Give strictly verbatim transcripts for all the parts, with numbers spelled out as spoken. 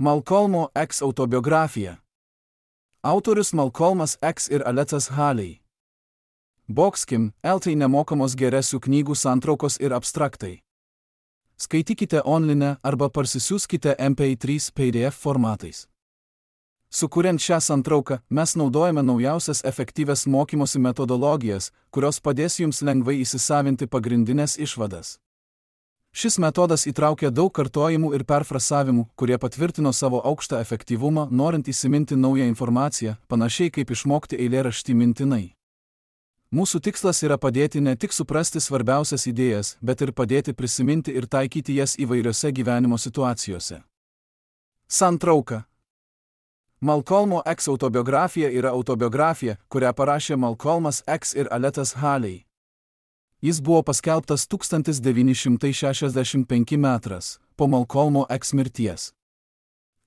Malcolmo X autobiografija. Autorius Malcolmas X ir Aletas Haley. Boxkim, eltai nemokamos geresių knygų santraukos ir abstraktai. Skaitykite online arba parsisiųskite M P trys P D F formatais. Sukuriant šią santrauką, mes naudojame naujausias efektyvias mokymosi metodologijas, kurios padės jums lengvai įsisavinti pagrindinės išvadas. Šis metodas įtraukia daug kartojimų ir perfrasavimų, kurie patvirtino savo aukštą efektyvumą, norint įsiminti naują informaciją, panašiai kaip išmokti eilėraštį mintinai. Mūsų tikslas yra padėti ne tik suprasti svarbiausias idėjas, bet ir padėti prisiminti ir taikyti jas įvairiose gyvenimo situacijose. Santrauka. Malcolmo X autobiografija yra autobiografija, kurią parašė Malcolmas X ir Aletas Haley. Jis buvo paskelbtas tūkstantis devyni šimtai šešiasdešimt penkti metras po Malcolmo X mirties.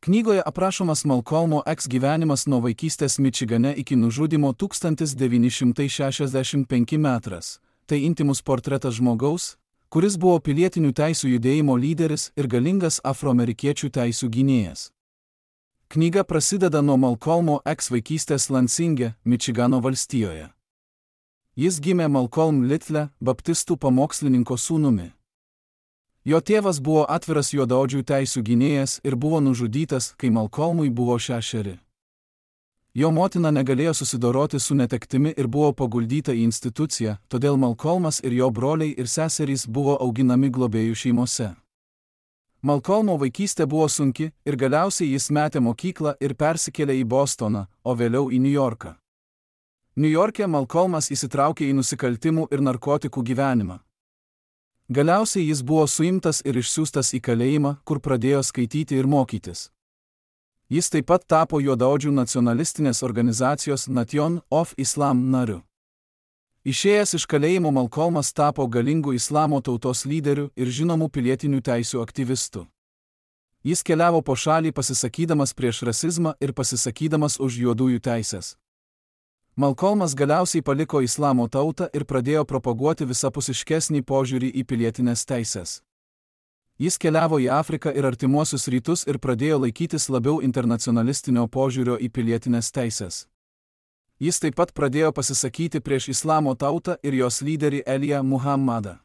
Knygoje aprašomas Malcolmo X gyvenimas nuo vaikystės Mičigane iki nužudymo tūkstantis devyni šimtai šešiasdešimt penkti metras. Tai intymus portretas žmogaus, kuris buvo pilietinių teisių judėjimo lyderis ir galingas afroamerikiečių teisių gynėjas. Knyga prasideda nuo Malcolmo X vaikystės Lansinge, Mičigano valstijoje. Jis gimė Malcolm Little, baptistų pamokslininko sūnumi. Jo tėvas buvo atviras juodaodžių teisių gynėjas ir buvo nužudytas, kai Malcolmui buvo šešeri. Jo motina negalėjo susidoroti su netektimi ir buvo paguldyta į instituciją, todėl Malcolmas ir jo broliai ir seserys buvo auginami globėjų šeimose. Malcolmo vaikystė buvo sunki ir galiausiai jis metė mokyklą ir persikėlė į Bostoną, o vėliau į Niujorką. Niujorke Malcolmas įsitraukė į nusikaltimų ir narkotikų gyvenimą. Galiausiai jis buvo suimtas ir išsiųstas į kalėjimą, kur pradėjo skaityti ir mokytis. Jis taip pat tapo juodaodžių nacionalistinės organizacijos Nation of Islam nariu. Išėjęs iš kalėjimo Malcolmas tapo galingų islamo tautos lyderiu ir žinomų pilietinių teisių aktyvistu. Jis keliavo po šalį pasisakydamas prieš rasizmą ir pasisakydamas už juodųjų teisės. Malcolmas galiausiai paliko islamo tautą ir pradėjo propaguoti visapusiškesnį požiūrį į pilietinės teisės. Jis keliavo į Afriką ir artimuosius rytus ir pradėjo laikytis labiau internacionalistinio požiūrio į pilietinės teisės. Jis taip pat pradėjo pasisakyti prieš islamo tautą ir jos lyderį Elijah Muhammadą.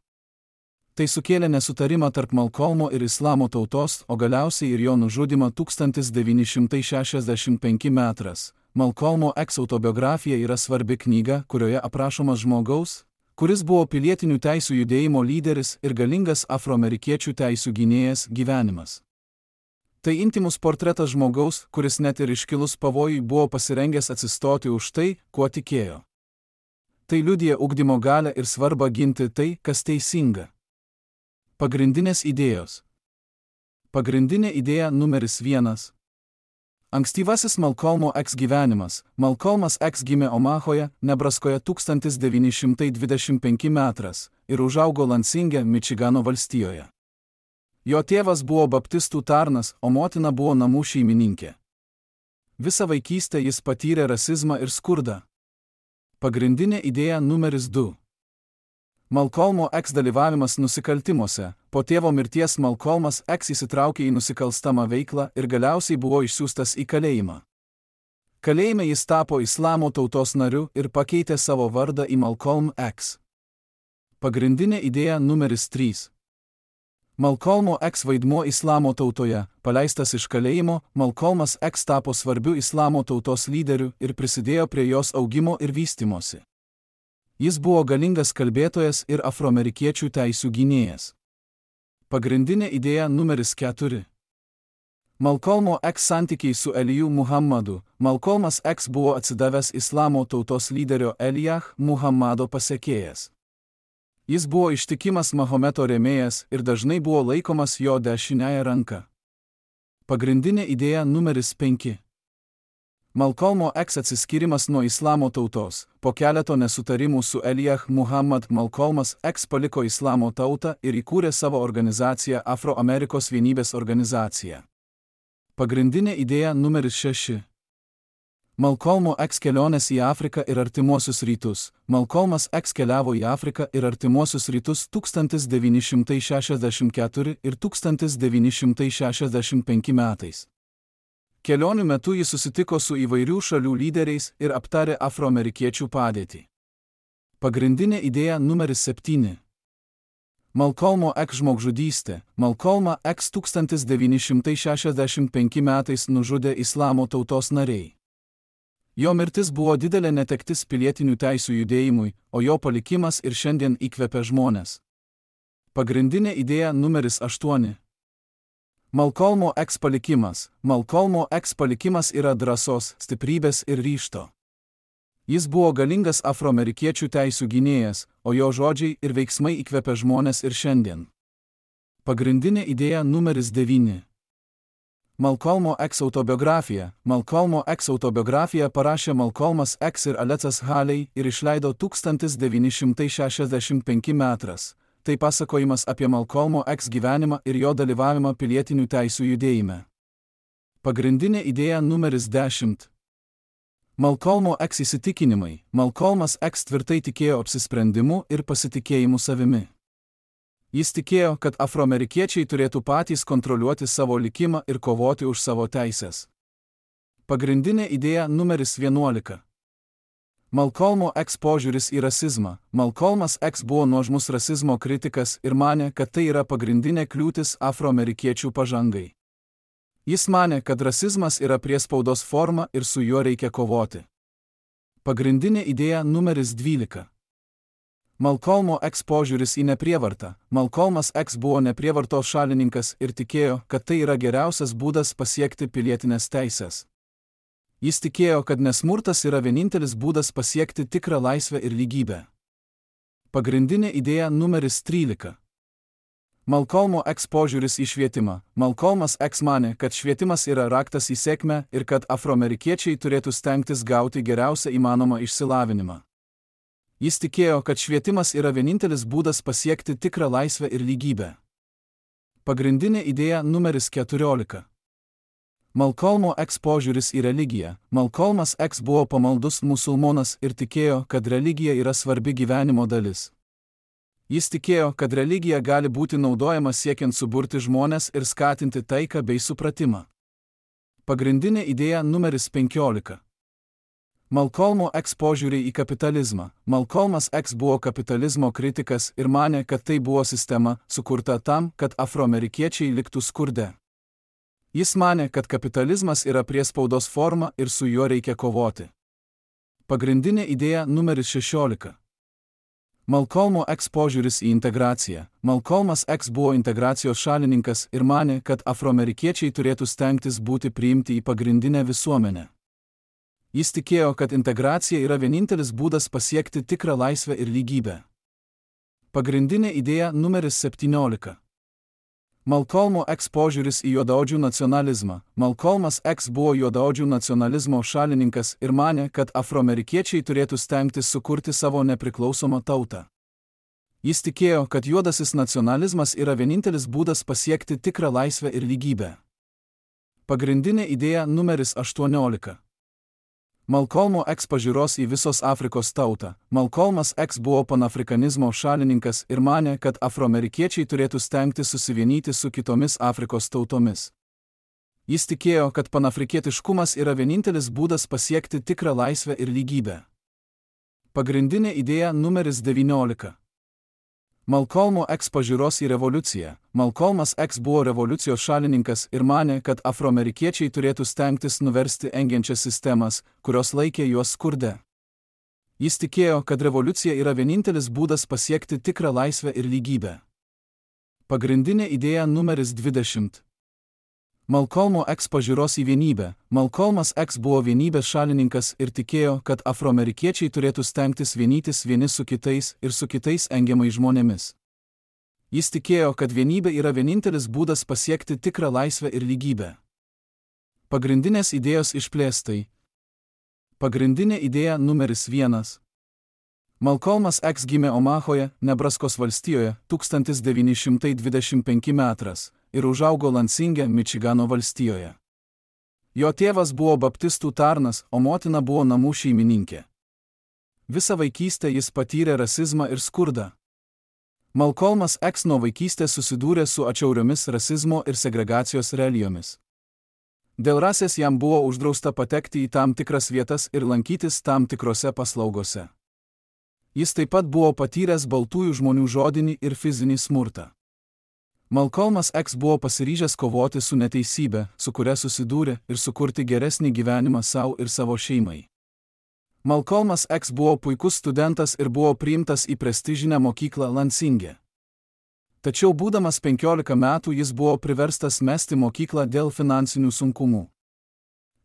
Tai sukėlė nesutarimą tarp Malcolmo ir islamo tautos, o galiausiai ir jo nužudymą tūkstantis devyni šimtai šešiasdešimt penkti metras. Malcolmo X autobiografija yra svarbi knyga, kurioje aprašomas žmogaus, kuris buvo pilietinių teisių judėjimo lyderis ir galingas afroamerikiečių teisių gynėjas gyvenimas. Tai intymus portretas žmogaus, kuris net ir iškilus pavojui buvo pasirengęs atsistoti už tai, kuo tikėjo. Tai liudija ugdymo galią ir svarbą ginti tai, kas teisinga. Pagrindinės idėjos. Pagrindinė idėja numeris vienas. Ankstyvasis Malcolmo X gyvenimas. Malcolmas X gimė Omahoje, Nebraskoje tūkstantis devyni šimtai dvidešimt penkti metras ir užaugo Lansinge, Mičigano valstijoje. Jo tėvas buvo baptistų tarnas, o motina buvo namų šeimininkė. Visą vaikystę jis patyrė rasizmą ir skurdą. Pagrindinė idėja numeris du. Malcolmo X dalyvavimas nusikaltimuose. Po tėvo mirties Malcolmas X įsitraukė į nusikalstamą veiklą ir galiausiai buvo išsiųstas į kalėjimą. Kalėjime jis tapo islamo tautos nariu ir pakeitė savo vardą į Malcolm X. Pagrindinė idėja numeris trys. Malcolmo X vaidmuo islamo tautoje. Paleistas iš kalėjimo, Malcolmas X tapo svarbiu islamo tautos lyderiu ir prisidėjo prie jos augimo ir vystymosi. Jis buvo galingas kalbėtojas ir afroamerikiečių teisių gynėjas. Pagrindinė idėja numeris keturi. Malcolmo X santykiai su Eliju Muhammadu. Malcolmas X buvo atsidavęs islamo tautos lyderio Elijah Muhammado pasekėjas. Jis buvo ištikimas Mahometo rėmėjas ir dažnai buvo laikomas jo dešiniąja ranka. Pagrindinė idėja numeris penki. Malcolmo X atsiskyrimas nuo islamo tautos. Po keleto nesutarimų su Elijah Muhammad, Malcolmas X paliko islamo tautą ir įkūrė savo organizaciją Afroamerikos vienybės organizacija. Pagrindinė idėja numeris šeši. Malcolmo X kelionės į Afriką ir artimuosius rytus. Malcolmas X keliavo į Afriką ir artimuosius rytus tūkstantis devyni šimtai šešiasdešimt keturi ir tūkstantis devyni šimtai šešiasdešimt penki metais. Kelionių metu jis susitiko su įvairių šalių lyderiais ir aptarė afroamerikiečių padėtį. Pagrindinė idėja numeris septyni. Malcolmo X žmogžudystė. Malcolmą X tūkstantis devyni šimtai šešiasdešimt penki metais nužudė Islamo tautos nariai. Jo mirtis buvo didelė netektis pilietinių teisių judėjimui, o jo palikimas ir šiandien įkvepia žmones. Pagrindinė idėja numeris aštuoni. Malcolmo X palikimas. Malcolmo X palikimas yra drąsos, stiprybės ir ryžto. Jis buvo galingas afroamerikiečių teisių gynėjas, o jo žodžiai ir veiksmai įkvepia žmones ir šiandien. Pagrindinė idėja numeris devyni. Malcolmo X autobiografija. Malcolmo X autobiografiją parašė Malcolmas X ir Alecas Haley ir išleido tūkstantis devyni šimtai šešiasdešimt penki metais. Tai pasakojimas apie Malcolmo X gyvenimą ir jo dalyvavimą pilietinių teisių judėjime. Pagrindinė idėja numeris dešimt. Malcolmo X įsitikinimai. Malcolmas X tvirtai tikėjo apsisprendimu ir pasitikėjimu savimi. Jis tikėjo, kad afroamerikiečiai turėtų patys kontroliuoti savo likimą ir kovoti už savo teises. Pagrindinė idėja numeris vienuolika. Malcolmo X požiūris į rasizmą. Malcolmas X buvo nuožmus rasizmo kritikas ir manė, kad tai yra pagrindinė kliūtis afroamerikiečių pažangai. Jis manė, kad rasizmas yra priespaudos forma ir su juo reikia kovoti. Pagrindinė idėja numeris dvylika. Malcolmo X požiūris į neprievartą. Malcolmas X buvo neprievartos šalininkas ir tikėjo, kad tai yra geriausias būdas pasiekti pilietinės teisės. Jis tikėjo, kad nesmurtas yra vienintelis būdas pasiekti tikrą laisvę ir lygybę. Pagrindinė idėja numeris trylika. Malcolmo X požiūris į švietimą. Malcolmas X manė, kad švietimas yra raktas į sėkmę ir kad afroamerikiečiai turėtų stengtis gauti geriausią įmanomą išsilavinimą. Jis tikėjo, kad švietimas yra vienintelis būdas pasiekti tikrą laisvę ir lygybę. Pagrindinė idėja numeris keturiolika. Malcolmo X požiūris į religiją. Malcolmas X buvo pamaldus musulmonas ir tikėjo, kad religija yra svarbi gyvenimo dalis. Jis tikėjo, kad religija gali būti naudojama siekiant suburti žmones ir skatinti taiką bei supratimą. Pagrindinė idėja numeris penkiolika. Malcolmo X požiūrį į kapitalizmą. Malcolmas X buvo kapitalizmo kritikas ir manė, kad tai buvo sistema, sukurta tam, kad afroamerikiečiai liktų skurde. Jis manė, kad kapitalizmas yra priespaudos forma ir su juo reikia kovoti. Pagrindinė idėja numeris šešiolika. Malcolmo X požiūris į integraciją. Malcolmas X buvo integracijos šalininkas ir manė, kad afroamerikiečiai turėtų stengtis būti priimti į pagrindinę visuomenę. Jis tikėjo, kad integracija yra vienintelis būdas pasiekti tikrą laisvę ir lygybę. Pagrindinė idėja numeris septyniolika. Malcolmo X požiūris į juodaodžių nacionalizmą. Malcolmas X buvo juodaodžių nacionalizmo šalininkas ir manė, kad afroamerikiečiai turėtų stengtis sukurti savo nepriklausomą tautą. Jis tikėjo, kad juodasis nacionalizmas yra vienintelis būdas pasiekti tikrą laisvę ir lygybę. Pagrindinė idėja numeris aštuoniolika. Malcolmo X pažiūros į visos Afrikos tautą. Malcolmas X buvo panafrikanizmo šalininkas ir manė, kad afroamerikiečiai turėtų stengtis susivienyti su kitomis Afrikos tautomis. Jis tikėjo, kad panafrikietiškumas yra vienintelis būdas pasiekti tikrą laisvę ir lygybę. Pagrindinė idėja numeris devyniolika. Malcolmo X pažiūros į revoliuciją. Malcolmas X buvo revoliucijos šalininkas ir manė, kad afroamerikiečiai turėtų stengtis nuversti engiančias sistemas, kurios laikė juos skurde. Jis tikėjo, kad revoliucija yra vienintelis būdas pasiekti tikrą laisvę ir lygybę. Pagrindinė idėja numeris dvidešimt. Malcolmo X pažiūros į vienybę. Malcolmas X buvo vienybės šalininkas ir tikėjo, kad afroamerikiečiai turėtų stengtis vienytis vieni su kitais ir su kitais engiamai žmonėmis. Jis tikėjo, kad vienybė yra vienintelis būdas pasiekti tikrą laisvę ir lygybę. Pagrindinės idėjos išplėstai. Pagrindinė idėja numeris vienas. Malcolmas X gimė Omahoje, Nebraskos valstijoje, tūkstantis devyni šimtai dvidešimt penki metais ir užaugo Lansinge, Mičigano valstijoje. Jo tėvas buvo baptistų tarnas, o motina buvo namų šeimininkė. Visą vaikystę jis patyrė rasizmą ir skurdą. Malcolmas X nuo vaikystės susidūrė su atšiauriomis rasizmo ir segregacijos realijomis. Dėl rasės jam buvo uždrausta patekti į tam tikras vietas ir lankytis tam tikrose paslaugose. Jis taip pat buvo patyręs baltųjų žmonių žodinį ir fizinį smurtą. Malcolmas X buvo pasiryžęs kovoti su neteisybė, su kuria susidūrė, ir sukurti geresnį gyvenimą savo ir savo šeimai. Malcolmas X buvo puikus studentas ir buvo priimtas į prestižinę mokyklą Lansinge. Tačiau būdamas penkiolika metų jis buvo priverstas mesti mokyklą dėl finansinių sunkumų.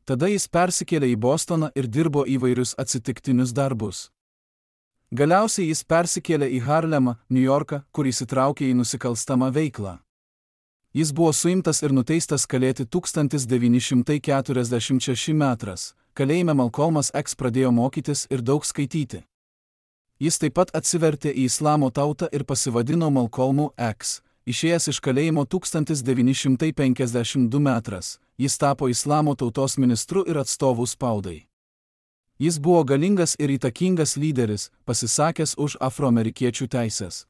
Tada jis persikėlė į Bostoną ir dirbo įvairius atsitiktinius darbus. Galiausiai jis persikėlė į Harlemą, New Yorką, kur įsitraukė į nusikalstamą veiklą. Jis buvo suimtas ir nuteistas kalėti tūkstantis devyni šimtai keturiasdešimt šeši metrais. Kalėjime Malcolmas X pradėjo mokytis ir daug skaityti. Jis taip pat atsivertė į islamo tautą ir pasivadino Malcolmu X. Išėjęs iš kalėjimo tūkstantis devyni šimtai penkiasdešimt du metrais, jis tapo islamo tautos ministru ir atstovu spaudai. Jis buvo galingas ir įtakingas lyderis, pasisakęs už afroamerikiečių teises.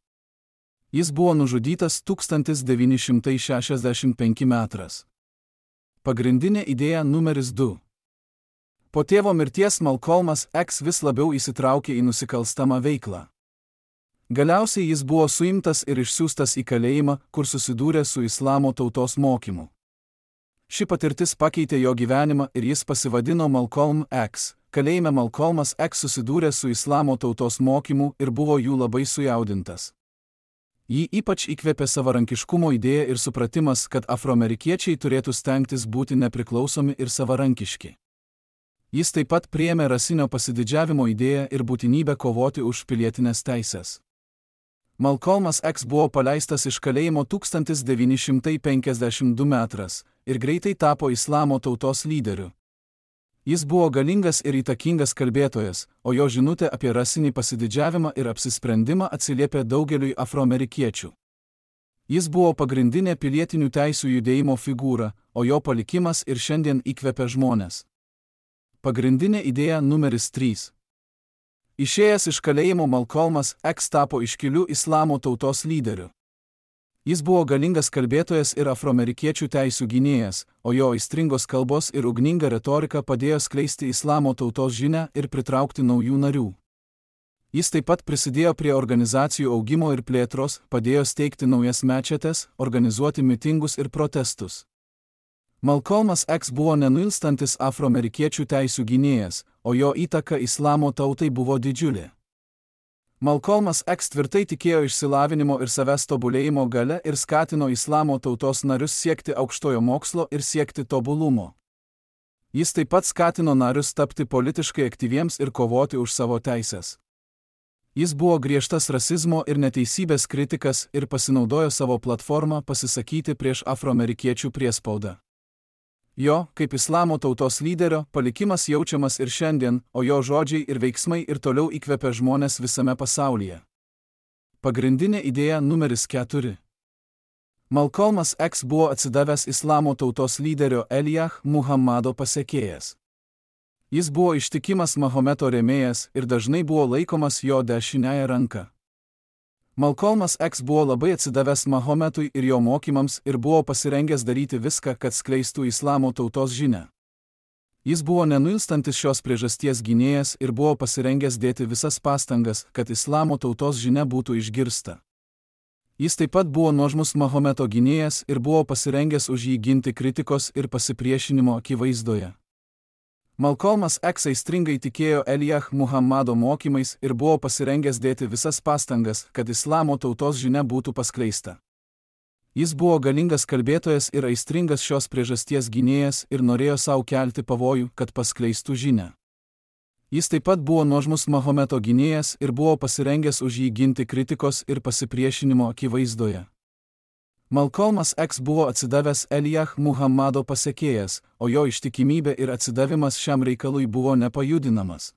Jis buvo nužudytas tūkstantis devyni šimtai šešiasdešimt penktais metrais. Pagrindinė idėja numeris du. Po tėvo mirties Malcolmas X vis labiau įsitraukė į nusikalstamą veiklą. Galiausiai jis buvo suimtas ir išsiųstas į kalėjimą, kur susidūrė su islamo tautos mokymu. Ši patirtis pakeitė jo gyvenimą ir jis pasivadino Malcolm X. Kalėjime Malcolmas X susidūrė su islamo tautos mokymu ir buvo jų labai sujaudintas. Jį ypač įkvėpė savarankiškumo idėja ir supratimas, kad afroamerikiečiai turėtų stengtis būti nepriklausomi ir savarankiški. Jis taip pat priėmė rasinio pasididžiavimo idėją ir būtinybę kovoti už pilietinės teisės. Malcolmas X buvo paleistas iš kalėjimo tūkstantis devyni šimtai penkiasdešimt du metrais ir greitai tapo islamo tautos lyderiu. Jis buvo galingas ir įtakingas kalbėtojas, o jo žinutė apie rasinį pasididžiavimą ir apsisprendimą atsiliepė daugeliui afroamerikiečių. Jis buvo pagrindinė pilietinių teisių judėjimo figūra, o jo palikimas ir šiandien įkvepia žmones. Pagrindinė idėja numeris trys. Išėjęs iš kalėjimo Malcolmas X tapo iškiliu islamo tautos lyderiu. Jis buvo galingas kalbėtojas ir afroamerikiečių teisių gynėjas, o jo aistringos kalbos ir ugninga retorika padėjo skleisti islamo tautos žinią ir pritraukti naujų narių. Jis taip pat prisidėjo prie organizacijų augimo ir plėtros, padėjo steigti naujas mečetes, organizuoti mitingus ir protestus. Malcolmas X buvo nenuilstantis afroamerikiečių teisių gynėjas, o jo įtaka islamo tautai buvo didžiulė. Malcolmas X tvirtai tikėjo išsilavinimo ir savęs tobulėjimo gale ir skatino islamo tautos narius siekti aukštojo mokslo ir siekti tobulumo. Jis taip pat skatino narius tapti politiškai aktyviems ir kovoti už savo teises. Jis buvo griežtas rasizmo ir neteisybės kritikas ir pasinaudojo savo platformą pasisakyti prieš afroamerikiečių priespaudą. Jo, kaip islamo tautos lyderio, palikimas jaučiamas ir šiandien, o jo žodžiai ir veiksmai ir toliau įkvepia žmones visame pasaulyje. Pagrindinė idėja numeris keturi. Malcolmas X buvo atsidavęs islamo tautos lyderio Elijah Muhammado pasekėjas. Jis buvo ištikimas Mahometo rėmėjas ir dažnai buvo laikomas jo dešiniąja ranka. Malcolmas X buvo labai atsidavęs Mahometui ir jo mokymams ir buvo pasirengęs daryti viską, kad skleistų islamo tautos žinią. Jis buvo nenuilstantis šios priežasties gynėjas ir buvo pasirengęs dėti visas pastangas, kad islamo tautos žinia būtų išgirsta. Jis taip pat buvo nuožmus Mahometo gynėjas ir buvo pasirengęs už jį ginti kritikos ir pasipriešinimo akivaizdoje. Malcolmas X aistringai tikėjo Elijah Muhammado mokymais ir buvo pasirengęs dėti visas pastangas, kad islamo tautos žinia būtų paskleista. Jis buvo galingas kalbėtojas ir aistringas šios priežasties gynėjas ir norėjo savo kelti pavojų, kad paskleistų žinią. Jis taip pat buvo nuožmus Mahometo gynėjas ir buvo pasirengęs už jį ginti kritikos ir pasipriešinimo akivaizdoje. Malcolmas X buvo atsidavęs Elijah Muhammado pasekėjas, o jo ištikimybė ir atsidavimas šiam reikalui buvo nepajudinamas.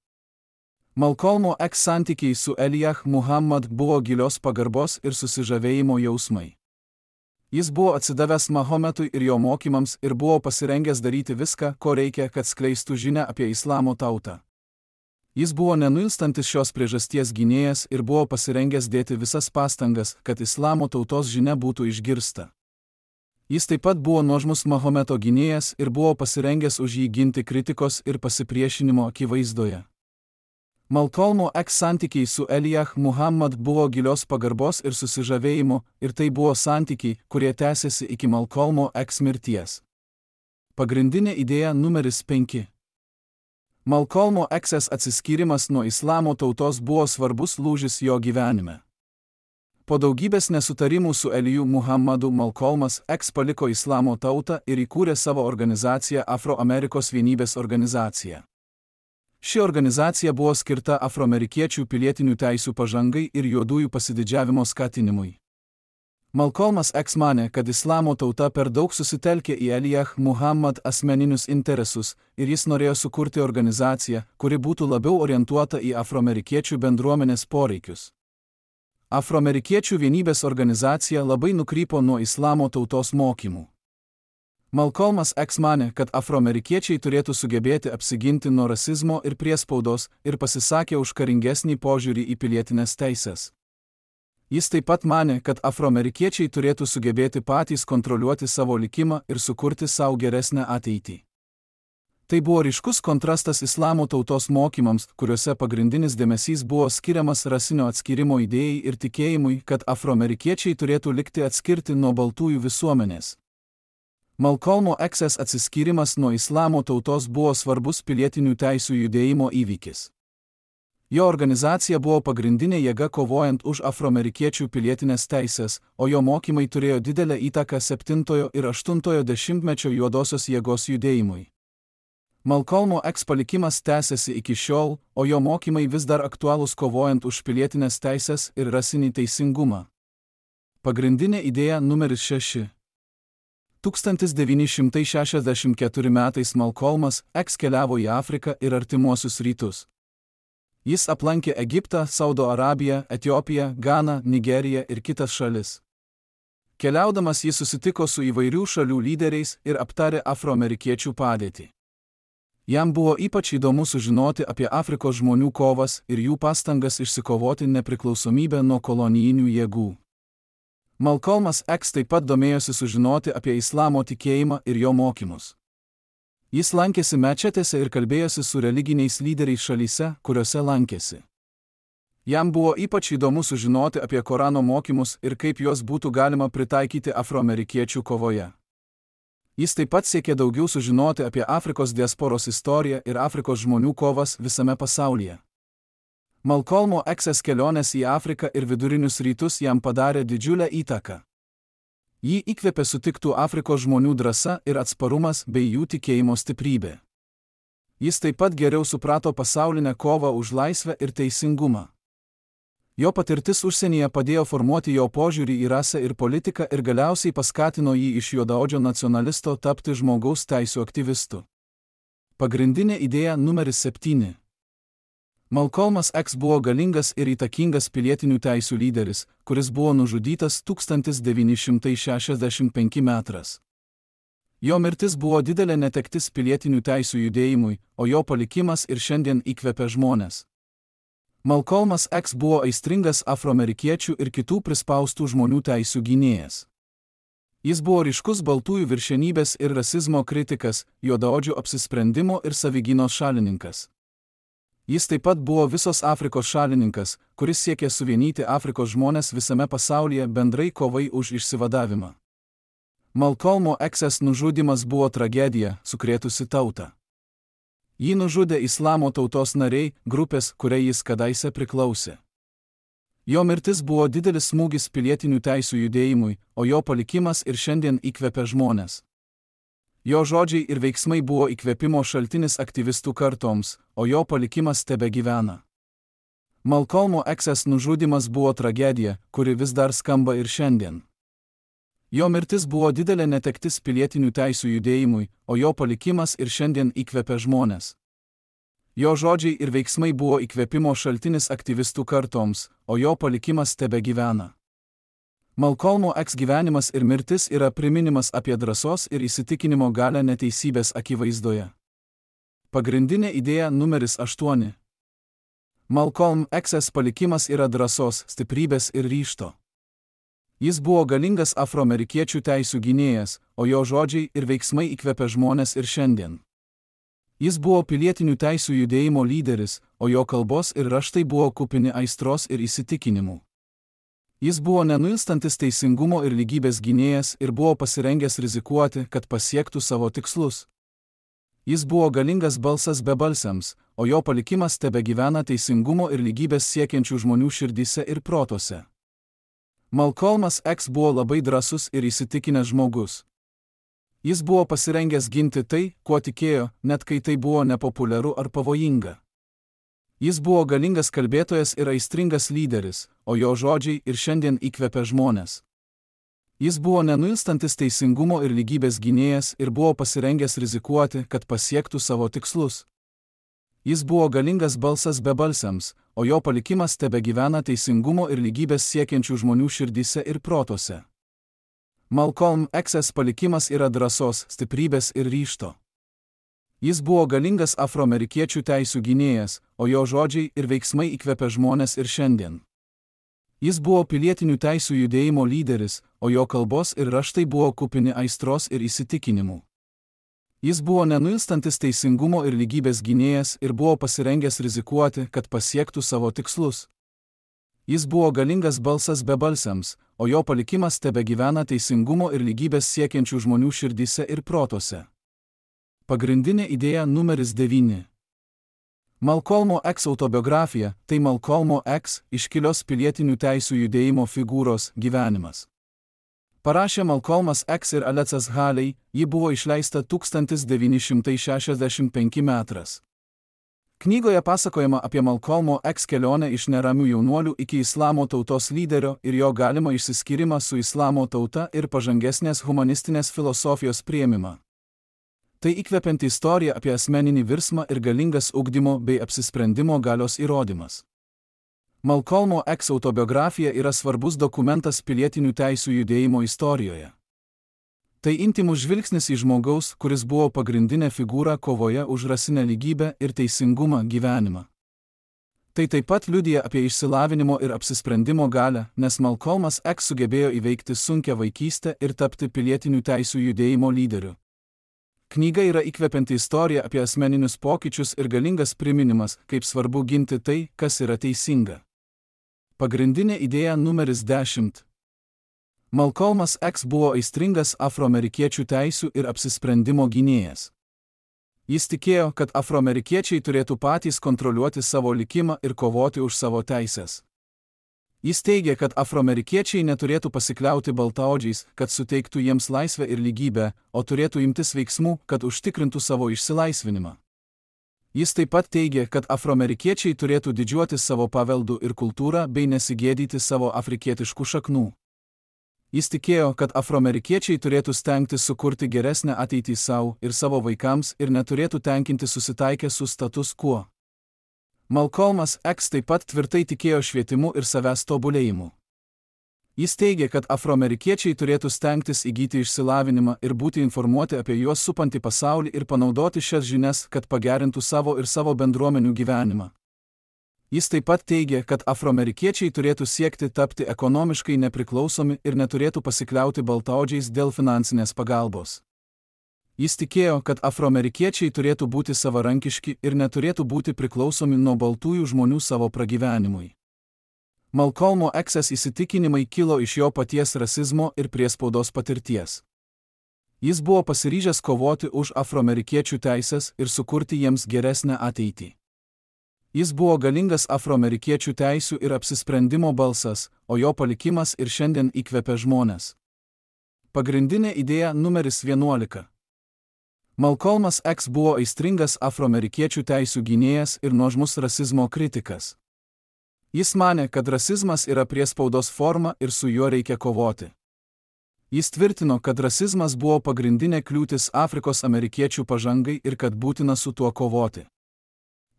Malcolmo X santykiai su Elijah Muhammad buvo gilios pagarbos ir susižavėjimo jausmai. Jis buvo atsidavęs Mahometui ir jo mokymams ir buvo pasirengęs daryti viską, ko reikia, kad skleistų žinią apie islamo tautą. Jis buvo nenuilstantis šios priežasties gynėjas ir buvo pasirengęs dėti visas pastangas, kad islamo tautos žinia būtų išgirsta. Jis taip pat buvo nuožmus Mahometo gynėjas ir buvo pasirengęs už jį ginti kritikos ir pasipriešinimo akivaizdoje. Malcolmo X santykiai su Elijah Muhammad buvo gilios pagarbos ir susižavėjimo, ir tai buvo santykiai, kurie tęsėsi iki Malcolmo X mirties. Pagrindinė idėja numeris penki. Malcolmo X atsiskyrimas nuo islamo tautos buvo svarbus lūžis jo gyvenime. Po daugybės nesutarimų su Eliju Muhammadu Malcolmas X paliko islamo tautą ir įkūrė savo organizaciją Afroamerikos vienybės organizaciją. Ši organizacija buvo skirta afroamerikiečių pilietinių teisių pažangai ir juodųjų pasididžiavimo skatinimui. Malcolmas X manė, kad islamo tauta per daug susitelkė į Elijah Muhammad asmeninius interesus ir jis norėjo sukurti organizaciją, kuri būtų labiau orientuota į afroamerikiečių bendruomenės poreikius. Afroamerikiečių vienybės organizacija labai nukrypo nuo islamo tautos mokymų. Malcolmas X manė, kad afroamerikiečiai turėtų sugebėti apsiginti nuo rasizmo ir priespaudos ir pasisakė už karingesnį požiūrį į pilietinės teises. Jis taip pat manė, kad afroamerikiečiai turėtų sugebėti patys kontroliuoti savo likimą ir sukurti savo geresnę ateitį. Tai buvo ryškus kontrastas islamo tautos mokymams, kuriuose pagrindinis dėmesys buvo skiriamas rasinio atskyrimo idėjai ir tikėjimui, kad afroamerikiečiai turėtų likti atskirti nuo baltųjų visuomenės. Malcolmo X atsiskyrimas nuo islamo tautos buvo svarbus pilietinių teisių judėjimo įvykis. Jo organizacija buvo pagrindinė jėga kovojant už afroamerikiečių pilietinės teisės, o jo mokymai turėjo didelę įtaką septintojo ir aštuntojo dešimtmečio juodosios jėgos judėjimui. Malcolmo X palikimas tęsiasi iki šiol, o jo mokymai vis dar aktualūs kovojant už pilietinės teisės ir rasinį teisingumą. Pagrindinė idėja numeris šeši. tūkstantis devyni šimtai šešiasdešimt ketvirtais metais Malcolmas X keliavo į Afriką ir Artimuosius rytus. Jis aplankė Egiptą, Saudo Arabiją, Etiopiją, Ganą, Nigeriją ir kitas šalis. Keliaudamas jis susitiko su įvairių šalių lyderiais ir aptarė afroamerikiečių padėtį. Jam buvo ypač įdomu sužinoti apie Afrikos žmonių kovas ir jų pastangas išsikovoti nepriklausomybę nuo kolonijinių jėgų. Malcolmas X taip pat domėjosi sužinoti apie islamo tikėjimą ir jo mokymus. Jis lankėsi mečetėse ir kalbėjosi su religiniais lyderiais šalyse, kuriuose lankėsi. Jam buvo ypač įdomu sužinoti apie Korano mokymus ir kaip juos būtų galima pritaikyti afroamerikiečių kovoje. Jis taip pat siekė daugiau sužinoti apie Afrikos diasporos istoriją ir Afrikos žmonių kovas visame pasaulyje. Malcolmo X kelionės į Afriką ir vidurinius rytus jam padarė didžiulę įtaką. Jį įkvėpė sutiktų Afrikos žmonių drąsa ir atsparumas bei jų tikėjimo stiprybė. Jis taip pat geriau suprato pasaulinę kovą už laisvę ir teisingumą. Jo patirtis užsienyje padėjo formuoti jo požiūrį į rasę ir politiką ir galiausiai paskatino jį iš juodaodžio nacionalisto tapti žmogaus teisių aktyvistu. Pagrindinė idėja numeris septyni. Malcolmas X buvo galingas ir įtakingas pilietinių teisių lyderis, kuris buvo nužudytas tūkstantis devyni šimtai šešiasdešimt penktais metais. Jo mirtis buvo didelė netektis pilietinių teisių judėjimui, o jo palikimas ir šiandien įkvepia žmones. Malcolmas X buvo aistringas afroamerikiečių ir kitų prispaustų žmonių teisių gynėjas. Jis buvo ryškus baltųjų viršenybės ir rasizmo kritikas, juodaodžių apsisprendimo ir savigynos šalininkas. Jis taip pat buvo visos Afrikos šalininkas, kuris siekė suvienyti Afrikos žmones visame pasaulyje bendrai kovai už išsivadavimą. Malcolmo X nužudymas buvo tragedija, sukrėtusi tautą. Jį nužudė islamo tautos nariai, grupės, kuriai jis kadaise priklausė. Jo mirtis buvo didelis smūgis pilietinių teisių judėjimui, o jo palikimas ir šiandien įkvepia žmones. Jo žodžiai ir veiksmai buvo įkvėpimo šaltinis aktyvistų kartoms, o jo palikimas tebegyvena. Malcolmo X nužudymas buvo tragedija, kuri vis dar skamba ir šiandien. Jo mirtis buvo didelė netektis pilietinių teisių judėjimui, o jo palikimas ir šiandien įkvepia žmones. Jo žodžiai ir veiksmai buvo įkvėpimo šaltinis aktyvistų kartoms, o jo palikimas tebegyvena. Malcolmo X gyvenimas ir mirtis yra priminimas apie drąsos ir įsitikinimo galią neteisybės akivaizdoje. Pagrindinė idėja numeris aštuoni. Malcolm X palikimas yra drąsos, stiprybės ir ryžto. Jis buvo galingas afroamerikiečių teisių gynėjas, o jo žodžiai ir veiksmai įkvepia žmones ir šiandien. Jis buvo pilietinių teisių judėjimo lyderis, o jo kalbos ir raštai buvo kupini aistros ir įsitikinimų. Jis buvo nenuilstantis teisingumo ir lygybės gynėjas ir buvo pasirengęs rizikuoti, kad pasiektų savo tikslus. Jis buvo galingas balsas bebalsiams, o jo palikimas tebegyvena teisingumo ir lygybės siekiančių žmonių širdyse ir protuose. Malcolmas X buvo labai drąsus ir įsitikinęs žmogus. Jis buvo pasirengęs ginti tai, kuo tikėjo, net kai tai buvo nepopuliaru ar pavojinga. Jis buvo galingas kalbėtojas ir aistringas lyderis, o jo žodžiai ir šiandien įkvepia žmones. Jis buvo nenuilstantis teisingumo ir lygybės gynėjas ir buvo pasirengęs rizikuoti, kad pasiektų savo tikslus. Jis buvo galingas balsas bebalsiams, o jo palikimas tebegyvena teisingumo ir lygybės siekiančių žmonių širdyse ir protuose. Malcolm X'as palikimas yra drąsos, stiprybės ir ryžto. Jis buvo galingas afroamerikiečių teisių gynėjas, o jo žodžiai ir veiksmai įkvepia žmones ir šiandien. Jis buvo pilietinių teisių judėjimo lyderis, o jo kalbos ir raštai buvo kupini aistros ir įsitikinimų. Jis buvo nenuilstantis teisingumo ir lygybės gynėjas ir buvo pasirengęs rizikuoti, kad pasiektų savo tikslus. Jis buvo galingas balsas bebalsiams, o jo palikimas tebegyvena teisingumo ir lygybės siekiančių žmonių širdyse ir protuose. Pagrindinė idėja numeris devyni. Malcolmo X autobiografija – tai Malcolmo X, iškilios pilietinių teisių judėjimo figūros, gyvenimas. Parašė Malcolmas X ir Alecas Haley, ji buvo išleista tūkstantis devyni šimtai šešiasdešimt penkti metais. Knygoje pasakojama apie Malcolmo X kelionę iš neramių jaunuolių iki islamo tautos lyderio ir jo galimą išsiskyrimą su islamo tauta ir pažangesnės humanistinės filosofijos priėmimą. Tai įkvepianti istorija apie asmeninį virsmą ir galingas ugdymo bei apsisprendimo galios įrodymas. Malcolmo X autobiografija yra svarbus dokumentas pilietinių teisių judėjimo istorijoje. Tai intymus žvilgsnis į žmogaus, kuris buvo pagrindinė figūra kovoje už rasinę lygybę ir teisingumą gyvenimą. Tai taip pat liudija apie išsilavinimo ir apsisprendimo galią, nes Malcolmas X sugebėjo įveikti sunkią vaikystę ir tapti pilietinių teisių judėjimo lyderiu. Knyga yra įkvepianti istorija apie asmeninius pokyčius ir galingas priminimas, kaip svarbu ginti tai, kas yra teisinga. Pagrindinė idėja numeris dešimt. Malcolmas X buvo aistringas afroamerikiečių teisių ir apsisprendimo gynėjas. Jis tikėjo, kad afroamerikiečiai turėtų patys kontroliuoti savo likimą ir kovoti už savo teises. Jis teigė, kad afroamerikiečiai neturėtų pasikliauti baltaodžiais, kad suteiktų jiems laisvę ir lygybę, o turėtų imtis veiksmų, kad užtikrintų savo išsilaisvinimą. Jis taip pat teigė, kad afroamerikiečiai turėtų didžiuotis savo paveldu ir kultūrą bei nesigėdyti savo afrikietiškų šaknų. Jis tikėjo, kad afroamerikiečiai turėtų stengtis sukurti geresnę ateitį savo ir savo vaikams ir neturėtų tenkinti susitaikę su status quo. Malcolmas X taip pat tvirtai tikėjo švietimu ir savęs tobulėjimu. Jis teigė, kad afroamerikiečiai turėtų stengtis įgyti išsilavinimą ir būti informuoti apie juos supantį pasaulį ir panaudoti šias žinias, kad pagerintų savo ir savo bendruomenių gyvenimą. Jis taip pat teigė, kad afroamerikiečiai turėtų siekti tapti ekonomiškai nepriklausomi ir neturėtų pasikliauti baltaodžiais dėl finansinės pagalbos. Jis tikėjo, kad afroamerikiečiai turėtų būti savarankiški ir neturėtų būti priklausomi nuo baltųjų žmonių savo pragyvenimui. Malcolmo X'as įsitikinimai kilo iš jo paties rasizmo ir priespaudos patirties. Jis buvo pasiryžęs kovoti už afroamerikiečių teises ir sukurti jiems geresnę ateitį. Jis buvo galingas afroamerikiečių teisių ir apsisprendimo balsas, o jo palikimas ir šiandien įkvepia žmones. Pagrindinė idėja numeris vienuolika. Malcolmas X buvo aistringas afroamerikiečių teisių gynėjas ir nuožmus rasizmo kritikas. Jis manė, kad rasizmas yra priespaudos forma ir su juo reikia kovoti. Jis tvirtino, kad rasizmas buvo pagrindinė kliūtis Afrikos amerikiečių pažangai ir kad būtina su tuo kovoti.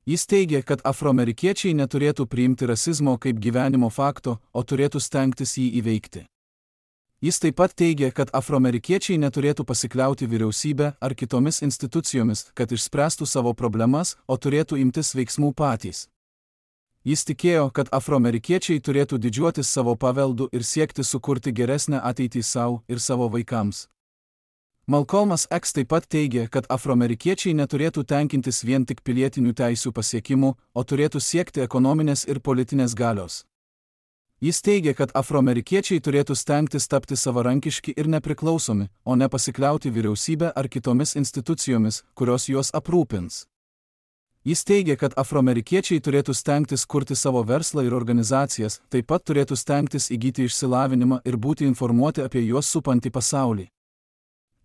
Jis teigė, kad afroamerikiečiai neturėtų priimti rasizmo kaip gyvenimo fakto, o turėtų stengtis jį įveikti. Jis taip pat teigė, kad afroamerikiečiai neturėtų pasikliauti vyriausybę ar kitomis institucijomis, kad išspręstų savo problemas, o turėtų imtis veiksmų patys. Jis tikėjo, kad afroamerikiečiai turėtų didžiuotis savo paveldu ir siekti sukurti geresnę ateitį savo ir savo vaikams. Malcolmas X taip pat teigė, kad afroamerikiečiai neturėtų tenkintis vien tik pilietinių teisių pasiekimų, o turėtų siekti ekonominės ir politinės galios. Jis teigė, kad afroamerikiečiai turėtų stengtis tapti savarankiški ir nepriklausomi, o ne pasikliauti vyriausybę ar kitomis institucijomis, kurios juos aprūpins. Jis teigė, kad afroamerikiečiai turėtų stengtis kurti savo verslą ir organizacijas, taip pat turėtų stengtis įgyti išsilavinimą ir būti informuoti apie juos supantį pasaulį.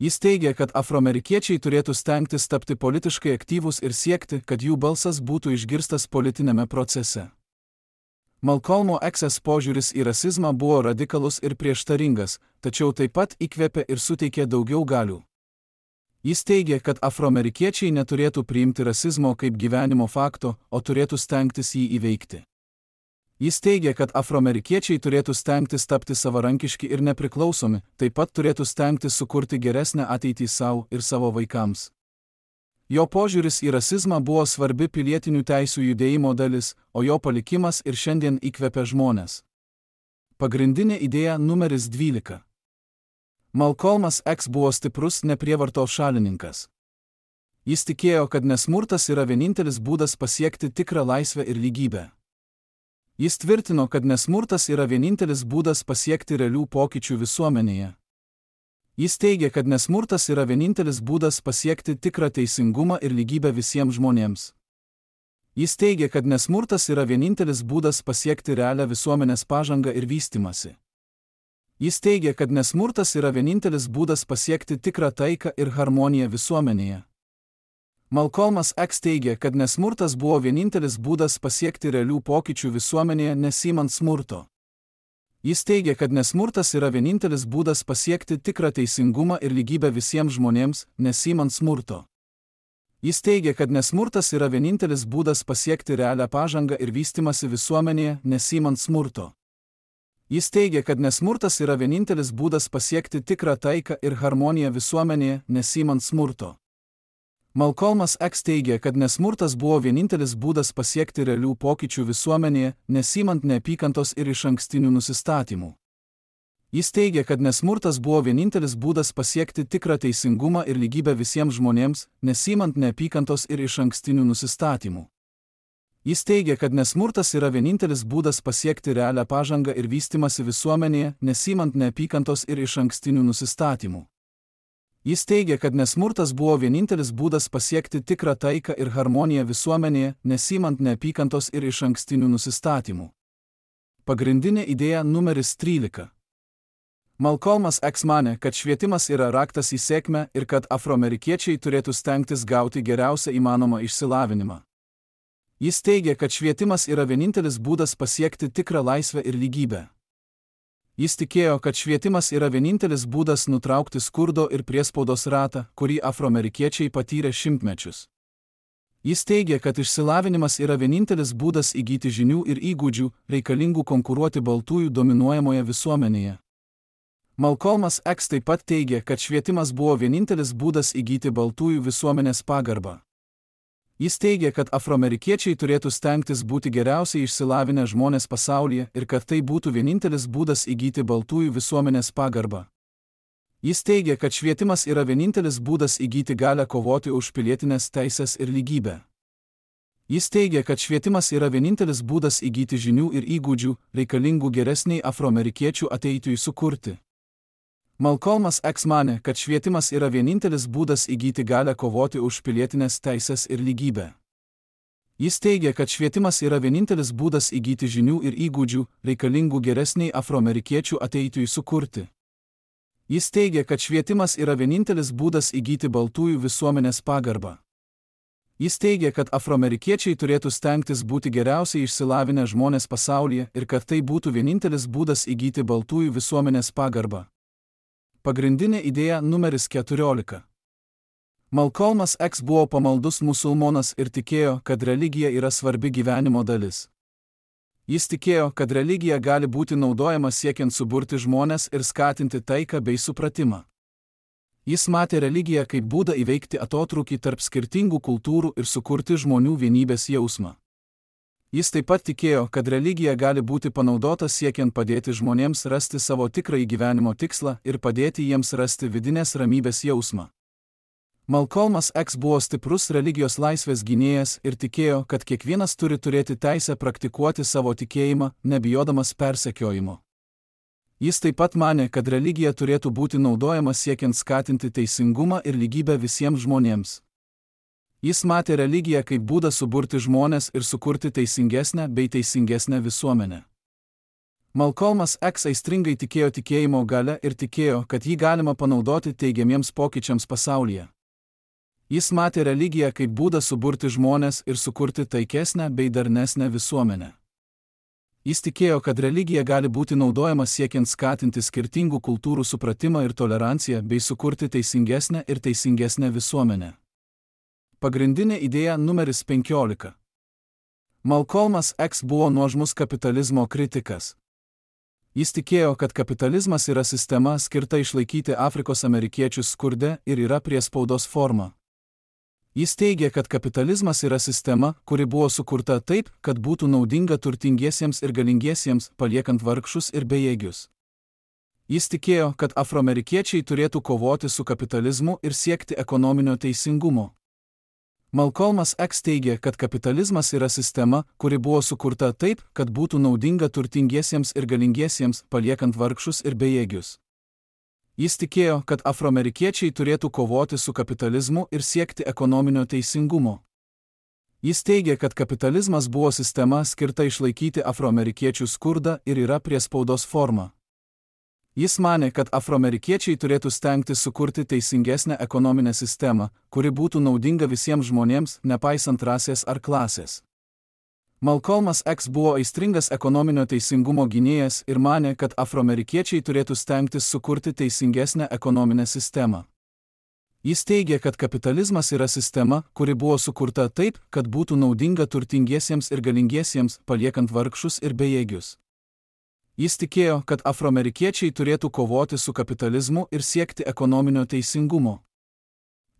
Jis teigė, kad afroamerikiečiai turėtų stengtis tapti politiškai aktyvūs ir siekti, kad jų balsas būtų išgirstas politinėme procese. Malcolmo X požiūris į rasizmą buvo radikalus ir prieštaringas, tačiau taip pat įkvėpė ir suteikė daugiau galių. Jis teigė, kad afroamerikiečiai neturėtų priimti rasizmo kaip gyvenimo fakto, o turėtų stengtis jį įveikti. Jis teigė, kad afroamerikiečiai turėtų stengtis tapti savarankiški ir nepriklausomi, taip pat turėtų stengtis sukurti geresnę ateitį savo ir savo vaikams. Jo požiūris į rasizmą buvo svarbi pilietinių teisių judėjimo dalis, o jo palikimas ir šiandien įkvepia žmones. Pagrindinė idėja numeris dvylika. Malcolmas X buvo stiprus neprievartos šalininkas. Jis tikėjo, kad nesmurtas yra vienintelis būdas pasiekti tikrą laisvę ir lygybę. Jis tvirtino, kad nesmurtas yra vienintelis būdas pasiekti realių pokyčių visuomenėje. Jis teigė, kad nesmurtas yra vienintelis būdas pasiekti tikrą teisingumą ir lygybę visiems žmonėms. Jis teigė, kad nesmurtas yra vienintelis būdas pasiekti realią visuomenės pažangą ir vystymąsi. Jis teigė, kad nesmurtas yra vienintelis būdas pasiekti tikrą taiką ir harmoniją visuomenėje. Malcolmas X teigė, kad nesmurtas buvo vienintelis būdas pasiekti realių pokyčių visuomenėje nesimant smurto. Jis teigė, kad nesmurtas yra vienintelis būdas pasiekti tikrą teisingumą ir lygybę visiems žmonėms, nesimant smurto. Jis teigė, kad nesmurtas yra vienintelis būdas pasiekti realią pažangą ir vystymąsi visuomenėje, nesimant smurto. Jis teigė, kad nesmurtas yra vienintelis būdas pasiekti tikrą taiką ir harmoniją visuomenėje, nesimant smurto. Malcolmas X teigė, kad nesmurtas buvo vienintelis būdas pasiekti realių pokyčių visuomenėje, nesimant neapykantos ir išankstinių nusistatymų. Jis teigė, kad nesmurtas buvo vienintelis būdas pasiekti tikrą teisingumą ir lygybę visiems žmonėms, nesimant neapykantos ir išankstinių nusistatymų. Jis teigė, kad nesmurtas yra vienintelis būdas pasiekti realią pažangą ir vystymąsi visuomenėje, nesimant neapykantos ir išankstinių nusistatymų. Jis teigė, kad nesmurtas buvo vienintelis būdas pasiekti tikrą taiką ir harmoniją visuomenėje, nesimant neapykantos ir išankstinių nusistatymų. Pagrindinė idėja numeris trylika. Malcolmas X manė, kad švietimas yra raktas į sėkmę ir kad afroamerikiečiai turėtų stengtis gauti geriausią įmanomą išsilavinimą. Jis teigė, kad švietimas yra vienintelis būdas pasiekti tikrą laisvę ir lygybę. Jis tikėjo, kad švietimas yra vienintelis būdas nutraukti skurdo ir priespaudos ratą, kurį afroamerikiečiai patyrė šimtmečius. Jis teigė, kad išsilavinimas yra vienintelis būdas įgyti žinių ir įgūdžių, reikalingų konkuruoti baltųjų dominuojamoje visuomenėje. Malcolmas X taip pat teigė, kad švietimas buvo vienintelis būdas įgyti baltųjų visuomenės pagarbą. Jis teigė, kad afroamerikiečiai turėtų stengtis būti geriausiai išsilavinę žmonės pasaulyje ir kad tai būtų vienintelis būdas įgyti baltųjų visuomenės pagarbą. Jis teigė, kad švietimas yra vienintelis būdas įgyti galią kovoti už pilietinės teisės ir lygybę. Jis teigė, kad švietimas yra vienintelis būdas įgyti žinių ir įgūdžių, reikalingų geresniai afroamerikiečių ateitui sukurti. Malcolmas X manė, kad švietimas yra vienintelis būdas įgyti galią kovoti už pilietinės teisės ir lygybę. Jis teigė, kad švietimas yra vienintelis būdas įgyti žinių ir įgūdžių, reikalingų geresniai afroamerikiečių ateitui sukurti. Jis teigė, kad švietimas yra vienintelis būdas įgyti baltųjų visuomenės pagarbą. Jis teigė, kad afroamerikiečiai turėtų stengtis būti geriausiai išsilavinę žmonės pasaulyje ir kad tai būtų vienintelis būdas įgyti baltųjų visuomenės pagarbą. Pagrindinė idėja numeris keturiolika. Malcolmas X buvo pamaldus musulmonas ir tikėjo, kad religija yra svarbi gyvenimo dalis. Jis tikėjo, kad religija gali būti naudojama siekiant suburti žmones ir skatinti taiką bei supratimą. Jis matė religiją kaip būdą įveikti atotrūkį tarp skirtingų kultūrų ir sukurti žmonių vienybės jausmą. Jis taip pat tikėjo, kad religija gali būti panaudota siekiant padėti žmonėms rasti savo tikrąjį gyvenimo tikslą ir padėti jiems rasti vidinės ramybės jausmą. Malcolmas X buvo stiprus religijos laisvės gynėjas ir tikėjo, kad kiekvienas turi turėti teisę praktikuoti savo tikėjimą, nebijodamas persekiojimo. Jis taip pat manė, kad religija turėtų būti naudojama siekiant skatinti teisingumą ir lygybę visiems žmonėms. Jis matė religiją kaip būdą suburti žmones ir sukurti teisingesnę bei teisingesnę visuomenę. Malcolmas X aistringai tikėjo tikėjimo galia ir tikėjo, kad jį galima panaudoti teigiamiems pokyčiams pasaulyje. Jis matė religiją kaip būdą suburti žmones ir sukurti taikesnę bei darnesnę visuomenę. Jis tikėjo, kad religija gali būti naudojama siekiant skatinti skirtingų kultūrų supratimą ir toleranciją bei sukurti teisingesnę ir teisingesnę visuomenę. Pagrindinė idėja numeris penkiolika. Malcolmas X buvo nuožmus kapitalizmo kritikas. Jis tikėjo, kad kapitalizmas yra sistema skirta išlaikyti Afrikos amerikiečius skurde ir yra priespaudos forma. Jis teigė, kad kapitalizmas yra sistema, kuri buvo sukurta taip, kad būtų naudinga turtingiesiems ir galingiesiems, paliekant vargšus ir bejėgius. Jis tikėjo, kad afroamerikiečiai turėtų kovoti su kapitalizmu ir siekti ekonominio teisingumo. Malcolmas X teigė, kad kapitalizmas yra sistema, kuri buvo sukurta taip, kad būtų naudinga turtingiesiems ir galingiesiems, paliekant vargšus ir bejėgius. Jis tikėjo, kad afroamerikiečiai turėtų kovoti su kapitalizmu ir siekti ekonominio teisingumo. Jis teigė, kad kapitalizmas buvo sistema skirta išlaikyti afroamerikiečių skurdą ir yra priespaudos forma. Jis manė, kad afroamerikiečiai turėtų stengtis sukurti teisingesnę ekonominę sistemą, kuri būtų naudinga visiems žmonėms, nepaisant rasės ar klasės. Malcolmas X buvo aistringas ekonominio teisingumo gynėjas ir manė, kad afroamerikiečiai turėtų stengtis sukurti teisingesnę ekonominę sistemą. Jis teigė, kad kapitalizmas yra sistema, kuri buvo sukurta taip, kad būtų naudinga turtingiesiems ir galingiesiems, paliekant vargšus ir bejėgius. Jis tikėjo, kad afroamerikiečiai turėtų kovoti su kapitalizmu ir siekti ekonominio teisingumo.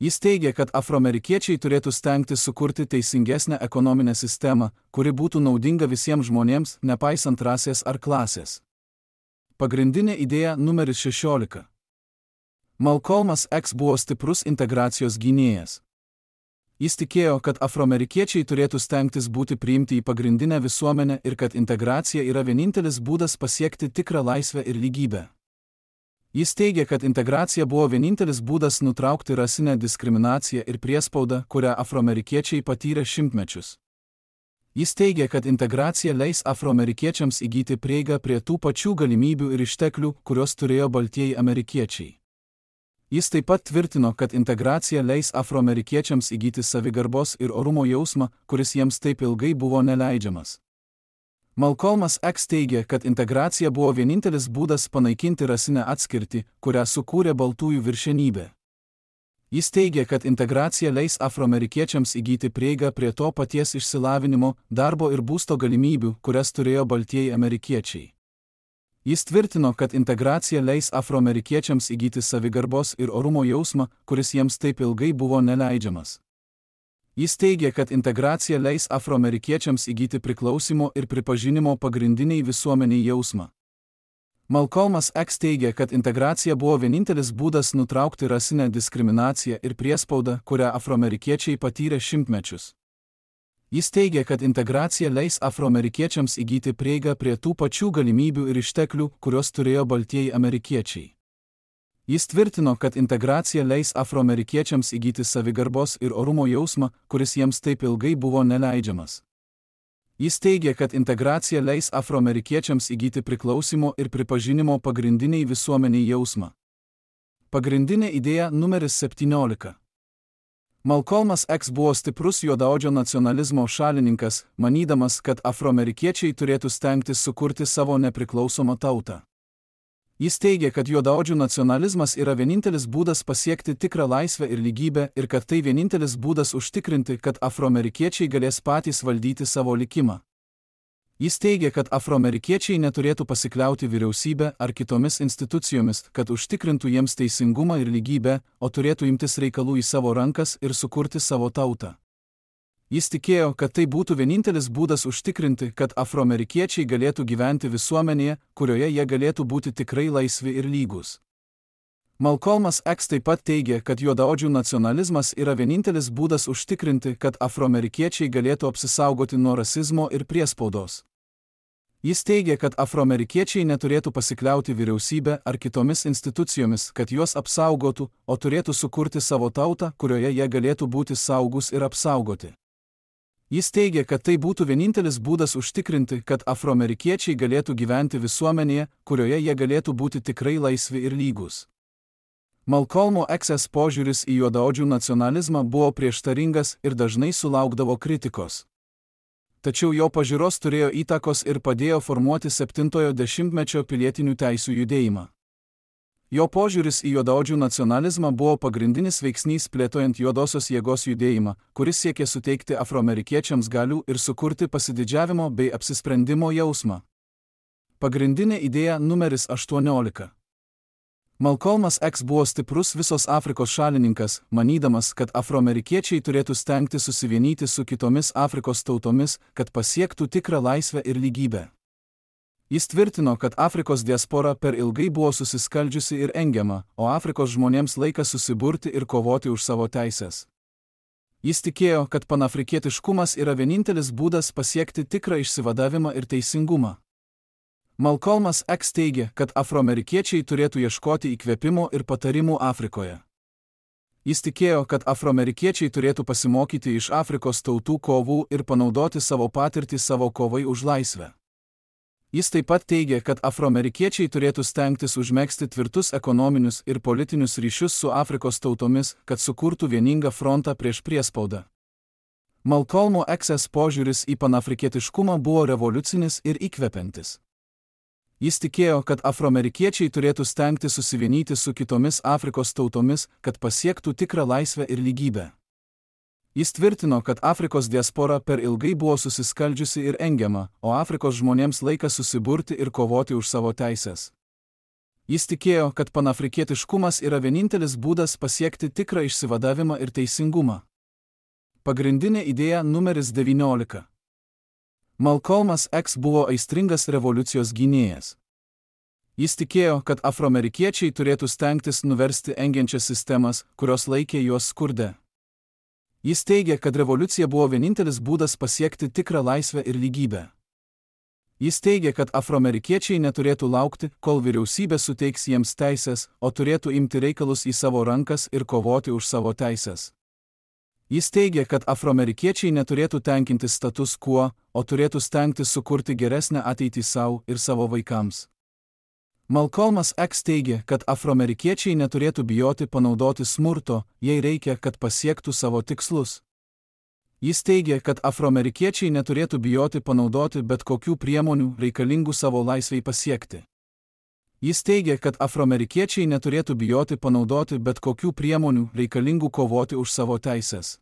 Jis teigė, kad afroamerikiečiai turėtų stengtis sukurti teisingesnę ekonominę sistemą, kuri būtų naudinga visiems žmonėms, nepaisant rasės ar klasės. Pagrindinė idėja numeris šešiolika. Malcolmas X buvo stiprus integracijos gynėjas. Jis tikėjo, kad afroamerikiečiai turėtų stengtis būti priimti į pagrindinę visuomenę ir kad integracija yra vienintelis būdas pasiekti tikrą laisvę ir lygybę. Jis teigė, kad integracija buvo vienintelis būdas nutraukti rasinę diskriminaciją ir priespaudą, kurią afroamerikiečiai patyrė šimtmečius. Jis teigė, kad integracija leis afroamerikiečiams įgyti prieigą prie tų pačių galimybių ir išteklių, kurios turėjo baltieji amerikiečiai. Jis taip pat tvirtino, kad integracija leis afroamerikiečiams įgyti savigarbos ir orumo jausmą, kuris jiems taip ilgai buvo neleidžiamas. Malcolmas X teigė, kad integracija buvo vienintelis būdas panaikinti rasinę atskirtį, kurią sukūrė baltųjų viršenybė. Jis teigė, kad integracija leis afroamerikiečiams įgyti prieigą prie to paties išsilavinimo, darbo ir būsto galimybių, kurias turėjo baltieji amerikiečiai. Jis tvirtino, kad integracija leis afroamerikiečiams įgyti savigarbos ir orumo jausmą, kuris jiems taip ilgai buvo neleidžiamas. Jis teigė, kad integracija leis afroamerikiečiams įgyti priklausimo ir pripažinimo pagrindiniai visuomeniai jausmą. Malcolmas X teigė, kad integracija buvo vienintelis būdas nutraukti rasinę diskriminaciją ir priespaudą, kurią afroamerikiečiai patyrė šimtmečius. Jis teigė, kad integracija leis afroamerikiečiams įgyti prieigą prie tų pačių galimybių ir išteklių, kurios turėjo baltieji amerikiečiai. Jis tvirtino, kad integracija leis afroamerikiečiams įgyti savigarbos ir orumo jausmą, kuris jiems taip ilgai buvo neleidžiamas. Jis teigė, kad integracija leis afroamerikiečiams įgyti priklausimo ir pripažinimo pagrindiniai visuomeniai jausmą. Pagrindinė idėja numeris septyniolika. Malcolmas X buvo stiprus juodaodžio nacionalizmo šalininkas, manydamas, kad afroamerikiečiai turėtų stengtis sukurti savo nepriklausomą tautą. Jis teigė, kad juodaodžių nacionalizmas yra vienintelis būdas pasiekti tikrą laisvę ir lygybę ir kad tai vienintelis būdas užtikrinti, kad afroamerikiečiai galės patys valdyti savo likimą. Jis teigė, kad afroamerikiečiai neturėtų pasikliauti vyriausybę ar kitomis institucijomis, kad užtikrintų jiems teisingumą ir lygybę, o turėtų imtis reikalų į savo rankas ir sukurti savo tautą. Jis tikėjo, kad tai būtų vienintelis būdas užtikrinti, kad afroamerikiečiai galėtų gyventi visuomenėje, kurioje jie galėtų būti tikrai laisvi ir lygūs. Malcolmas X taip pat teigė, kad juodaodžių nacionalizmas yra vienintelis būdas užtikrinti, kad afroamerikiečiai galėtų apsisaugoti nuo rasizmo ir priespaudos. Jis teigė, kad afroamerikiečiai neturėtų pasikliauti vyriausybę ar kitomis institucijomis, kad juos apsaugotų, o turėtų sukurti savo tautą, kurioje jie galėtų būti saugus ir apsaugoti. Jis teigė, kad tai būtų vienintelis būdas užtikrinti, kad afroamerikiečiai galėtų gyventi visuomenėje, kurioje jie galėtų būti tikrai laisvi ir lygūs. Malcolmo X požiūris į juodaodžių nacionalizmą buvo prieštaringas ir dažnai sulaukdavo kritikos. Tačiau jo pažiūros turėjo įtakos ir padėjo formuoti septintojo dešimtmečio pilietinių teisių judėjimą. Jo požiūris į juodaodžių nacionalizmą buvo pagrindinis veiksnys plėtojant juodosios jėgos judėjimą, kuris siekė suteikti afroamerikiečiams galių ir sukurti pasididžiavimo bei apsisprendimo jausmą. Pagrindinė idėja numeris aštuoniolika. Malcolmas X buvo stiprus visos Afrikos šalininkas, manydamas, kad afroamerikiečiai turėtų stengti susivienyti su kitomis Afrikos tautomis, kad pasiektų tikrą laisvę ir lygybę. Jis tvirtino, kad Afrikos diaspora per ilgai buvo susiskaldžiusi ir engiama, o Afrikos žmonėms laikas susiburti ir kovoti už savo teises. Jis tikėjo, kad panafrikietiškumas yra vienintelis būdas pasiekti tikrą išsivadavimą ir teisingumą. Malcolmas X teigė, kad afroamerikiečiai turėtų ieškoti įkvėpimo ir patarimų Afrikoje. Jis tikėjo, kad afroamerikiečiai turėtų pasimokyti iš Afrikos tautų kovų ir panaudoti savo patirtį savo kovai už laisvę. Jis taip pat teigė, kad afroamerikiečiai turėtų stengtis užmegzti tvirtus ekonominius ir politinius ryšius su Afrikos tautomis, kad sukurtų vieningą frontą prieš priespaudą. Malcolmo X požiūris į panafrikietiškumą buvo revoliucinis ir įkvepiantis. Jis tikėjo, kad afroamerikiečiai turėtų stengti susivienyti su kitomis Afrikos tautomis, kad pasiektų tikrą laisvę ir lygybę. Jis tvirtino, kad Afrikos diaspora per ilgai buvo susiskaldžiusi ir engiama, o Afrikos žmonėms laikas susiburti ir kovoti už savo teises. Jis tikėjo, kad panafrikietiškumas yra vienintelis būdas pasiekti tikrą išsivadavimą ir teisingumą. Pagrindinė idėja numeris devyniolika. Malcolmas X buvo aistringas revoliucijos gynėjas. Jis tikėjo, kad afroamerikiečiai turėtų stengtis nuversti engiančias sistemas, kurios laikė juos skurde. Jis teigė, kad revoliucija buvo vienintelis būdas pasiekti tikrą laisvę ir lygybę. Jis teigė, kad afroamerikiečiai neturėtų laukti, kol vyriausybė suteiks jiems teises, o turėtų imti reikalus į savo rankas ir kovoti už savo teises. Jis teigė, kad afroamerikiečiai neturėtų tenkintis status quo, o turėtų stengtis sukurti geresnę ateitį savo ir savo vaikams. Malcolmas X teigė, kad afroamerikiečiai neturėtų bijoti panaudoti smurto, jei reikia, kad pasiektų savo tikslus. Jis teigė, kad afroamerikiečiai neturėtų bijoti panaudoti bet kokių priemonių reikalingų savo laisvei pasiekti. Jis teigė, kad afroamerikiečiai neturėtų bijoti panaudoti bet kokių priemonių reikalingų kovoti už savo teises.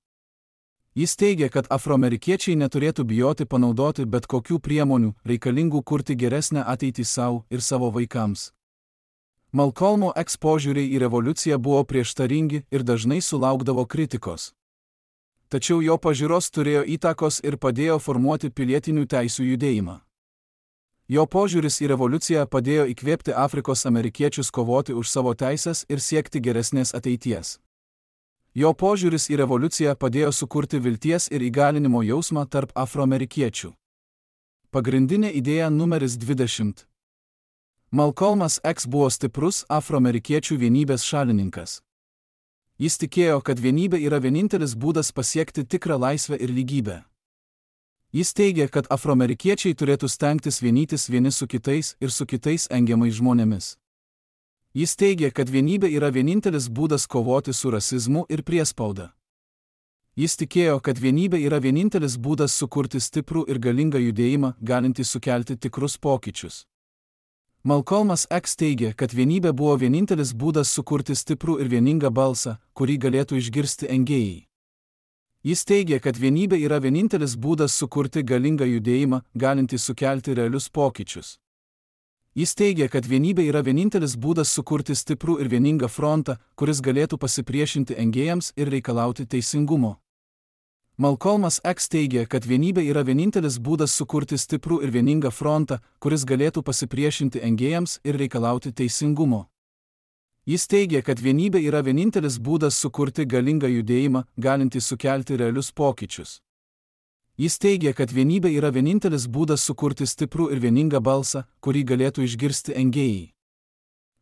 Jis teigė, kad afroamerikiečiai neturėtų bijoti panaudoti bet kokių priemonių reikalingų kurti geresnę ateitį savo ir savo vaikams. Malcolmo X požiūriai į revoliuciją buvo prieštaringi ir dažnai sulaukdavo kritikos. Tačiau jo pažiūros turėjo įtakos ir padėjo formuoti pilietinių teisių judėjimą. Jo požiūris į revoliuciją padėjo įkvėpti Afrikos amerikiečius kovoti už savo teises ir siekti geresnės ateities. Jo požiūris į revoliuciją padėjo sukurti vilties ir įgalinimo jausmą tarp afroamerikiečių. Pagrindinė idėja numeris dvidešimt. Malcolmas X buvo stiprus afroamerikiečių vienybės šalininkas. Jis tikėjo, kad vienybė yra vienintelis būdas pasiekti tikrą laisvę ir lygybę. Jis teigė, kad afroamerikiečiai turėtų stengtis vienytis vieni su kitais ir su kitais engiamais žmonėmis. Jis teigė, kad vienybė yra vienintelis būdas kovoti su rasizmu ir priespauda. Jis tikėjo, kad vienybė yra vienintelis būdas sukurti stiprų ir galingą judėjimą, galintį sukelti tikrus pokyčius. Malcolmas X teigė, kad vienybė buvo vienintelis būdas sukurti stiprų ir vieningą balsą, kurį galėtų išgirsti engėjai. Jis teigė, kad vienybė yra vienintelis būdas sukurti galingą judėjimą, galintį sukelti realius pokyčius. Jis teigė, kad vienybė yra vienintelis būdas sukurti stiprų ir vieningą frontą, kuris galėtų pasipriešinti engėjams ir reikalauti teisingumo. Malcolmas X teigia, kad vienybė yra vienintelis būdas sukurti stiprų ir vieningą frontą, kuris galėtų pasipriešinti engėjams ir reikalauti teisingumo. Jis teigia, kad vienybė yra vienintelis būdas sukurti galingą judėjimą, galintį sukelti realius pokyčius. Jis teigia, kad vienybė yra vienintelis būdas sukurti stiprų ir vieningą balsą, kurį galėtų išgirsti engėjai.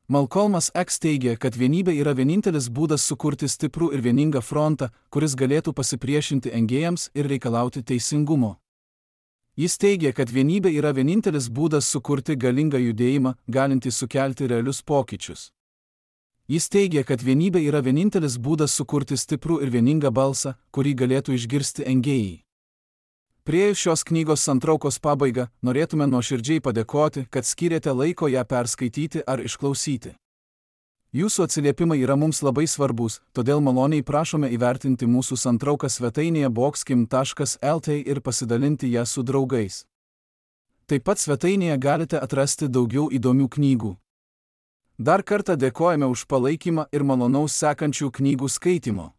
Malcolmas X teigia, kad vienybė yra vienintelis būdas sukurti stiprų ir vieningą frontą, kuris galėtų pasipriešinti engėjams ir reikalauti teisingumo. Jis teigia, kad vienybė yra vienintelis būdas sukurti galingą judėjimą, galintį sukelti realius pokyčius. Jis teigia, kad vienybė yra vienintelis būdas sukurti stiprų ir vieningą balsą, kurį galėtų išgirsti engėjai. Priėjus šios knygos santraukos pabaigą, norėtume nuoširdžiai padėkoti, kad skyrėte laiko ją perskaityti ar išklausyti. Jūsų atsiliepimai yra mums labai svarbus, todėl maloniai prašome įvertinti mūsų santrauką svetainėje boxkim taškas el t ir pasidalinti ją su draugais. Taip pat svetainėje galite atrasti daugiau įdomių knygų. Dar kartą dėkojame už palaikymą ir malonaus sekančių knygų skaitimo.